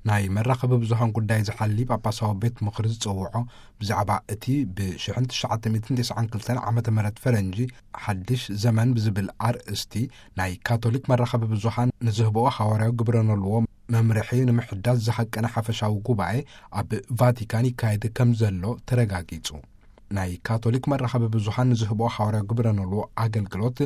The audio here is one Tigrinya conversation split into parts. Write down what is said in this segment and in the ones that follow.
ናይ መራኸቢ ብዙሃን ጉዳይ ዝሓሊ ጳጳሳዊ ቤት ምኽሪ ዝጸውዖ፣ ብዛዕባ እቲ ብ ሽሕን ትሽዓተ ሚእትን ተስዓን ክልተን ዓመተ ምህረት ፈረንጂ ሓድሽ ዘመን ብዝብል ኣርእስቲ ናይ ካቶሊክ መራኸቢ ብዙሃን ንዝህብኦ ሓዋርያዊ ግብረ ኖልዎ መምርሒ ንምሕዳስ ዝሃቀነ ሓፈሻዊ ጉባኤ ኣብ ቫቲካን ይካየድ ከም ዘሎ ተረጋጊጹ። ናይ ካቶሊክ መራኸቢ ብዙሃን ንዝህብኦ ሓዋርያዊ ግብረ ኖልዎ ኣገልግሎት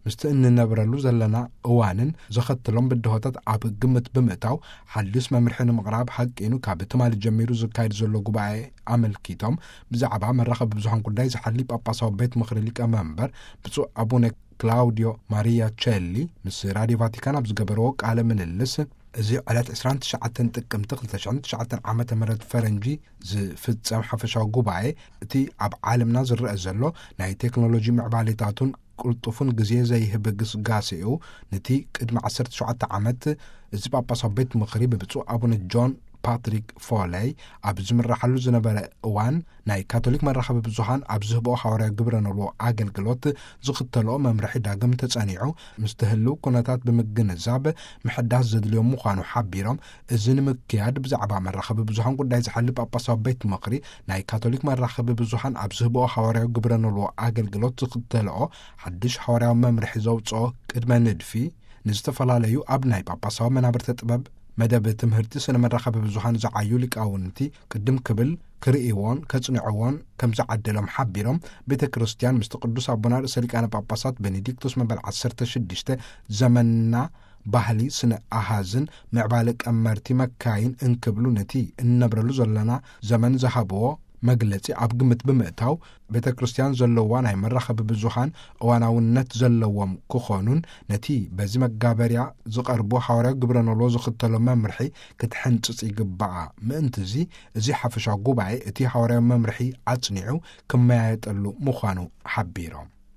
ምስቲ እንነብረሉ ዘለና እዋንን ዘኸትሎም ብድሆታት ኣብ ግምት ብምእታው፣ ሓዲስ መምርሒ ንምቕራብ ሃቂኑ ካብ ትማሊ ጀሚሩ ዝካየድ ዘሎ ጉባኤ ኣመልኪቶም፣ ብዛዕባ መራኸቢ ብዙሃን ጉዳይ ዝሓሊ ጳጳሳዊ ቤት ምኽሪ ሊቀ መንበር ብፁዕ ኣቡነ ክላውዲዮ ማሪያ ቸሊ ምስ ራዲዮ ቫቲካን ኣብ ዝገበርዎ ቃለ ምልልስ፣ እዚ ዕለት ዕስራን ትሽዓተን ጥቅምቲ ክልተ ሽሕን ትሽዓተን ዓመተ ምህረት ፈረንጂ ዝፍጸም ሓፈሻዊ ጉባኤ፣ እቲ ኣብ ዓለምና ዝረአ ዘሎ ናይ ቴክኖሎጂ ምዕባሌታቱን ቅልጡፉን ግዜ ዘይህብ ግስጋሴኡ፣ ነቲ ቅድሚ ዓሰርተ ሸውዓተ ዓመት እዚ ጳጳሳዊ ቤት ምኽሪ ብብፁዕ ኣቡነ ጆን ፓትሪክ ፎለይ ኣብ ዝምረሓሉ ዝነበረ እዋን፣ ናይ ካቶሊክ መራኸቢ ብዙሃን ኣብ ዝህብኦ ሓዋርያዊ ግብረ ኖልዎ ኣገልግሎት ዝኽተልኦ መምርሒ ዳግም ተጸኒዑ፣ ምስቲ ህልው ኩነታት ብምግንዛብ ምሕዳስ ዘድልዮም ምዃኑ ሓቢሮም፣ እዚ ንምክያድ ብዛዕባ መራኸቢ ብዙሃን ጉዳይ ዝሓሊ ጳጳሳዊ ቤት ምኽሪ ናይ ካቶሊክ መራኸቢ ብዙሃን ኣብ ዝህብኦ ሓዋርያዊ ግብረ ኖልዎ ኣገልግሎት ዝኽተልኦ ሓድሽ ሓዋርያዊ መምርሒ ዘውጽኦ ቅድመ ንድፊ፣ ንዝተፈላለዩ ኣብ ናይ ጳጳሳዊ መናብርተ ጥበብ መደብ ትምህርቲ ስነ መራኸቢ ብዙሃን ዝዓዩ ሊቃውንቲ ቅድም ክብል ክርእይዎን ከጽንዕዎን ከም ዝዓደሎም ሓቢሮም፣ ቤተ ክርስቲያን ምስቲ ቅዱስ ኣቦና ርእሰ ሊቃነ ጳጳሳት ቤኔዲክቶስ መበል ዓሰርተ ሽዱሽተ ዘመንና ባህሊ ስነ ኣሃዝን ምዕባለ ቀመርቲ መካይን እንክብሉ ነቲ እንነብረሉ ዘለና ዘመን ዝሃብዎ መግለጺ ኣብ ግምት ብምእታው፣ ቤተ ክርስቲያን ዘለዋ ናይ መራኸቢ ብዙሃን እዋናውነት ዘለዎም ክኾኑን፣ ነቲ በዚ መጋበርያ ዝቐርቡ ሓዋርያዊ ግብረ ኖልዎ ዝኽተሎ መምርሒ ክትሕንጽጽ ይግባኣ። ምእንትዚ፣ እዚ ሓፈሻዊ ጉባኤ እቲ ሓዋርያዊ መምርሒ ኣጽኒዑ ክመያየጠሉ ምዃኑ ሓቢሮም።